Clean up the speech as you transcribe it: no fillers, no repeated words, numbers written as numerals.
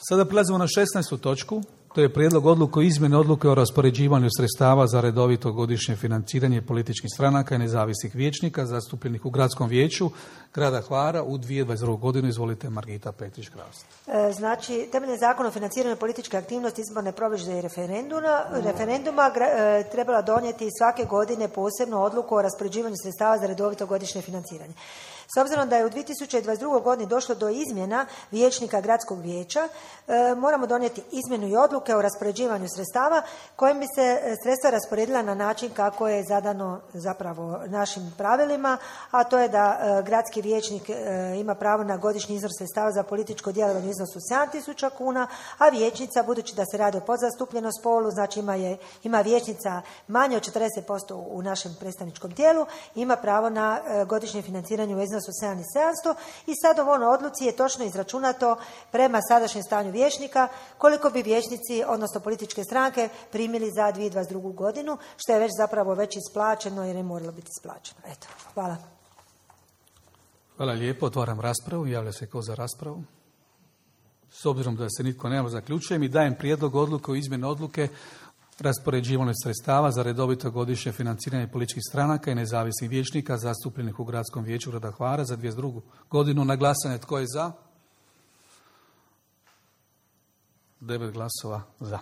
Sada prelazimo na 16. točku. To je prijedlog odluke o izmjeni odluke o raspoređivanju sredstava za redovito godišnje financiranje političkih stranaka i nezavisnih vijećnika zastupljenih u Gradskom vijeću grada Hvara u 2022. godinu. Izvolite, Margita Petrić-Kraus. Znači, temeljem Zakona o financiranju političke aktivnosti, izborne promidžbe i referenduma trebala donijeti svake godine posebnu odluku o raspoređivanju sredstava za redovito godišnje financiranje. S obzirom da je u 2022. godini došlo do izmjena vijećnika Gradskog vijeća, moramo donijeti izmjenu i odluke o raspoređivanju sredstava kojim bi se sredstva rasporedila na način kako je zadano zapravo našim pravilima, a to je da gradski vijećnik ima pravo na godišnji iznos sredstava za političko djelovanje u iznosu 7.000 kuna, a vijećnica, budući da se radi o podzastupljenom spolu, znači ima vijećnica manje od 40% u našem predstavničkom tijelu, ima pravo na godišnje financiranje u iznosu 7.700 i sad u ovoj odluci je točno izračunato prema sadašnjem stanju vijećnika koliko bi vijećnici, odnosno političke stranke, primili za 2022. godinu, što je već zapravo već isplaćeno jer je moralo biti isplaćeno. Eto, hvala. Hvala lijepo, otvaram raspravu. Javlja se ko za raspravu? S obzirom da se nitko nema, zaključujem i dajem prijedlog odluke o izmjeni odluke raspoređivanju sredstava za redovito godišnje financiranje političkih stranaka i nezavisnih vijećnika zastupljenih u Gradskom vijeću grada Hvara za 2022. godinu. Na glasanje tko je za? 9 glasova za.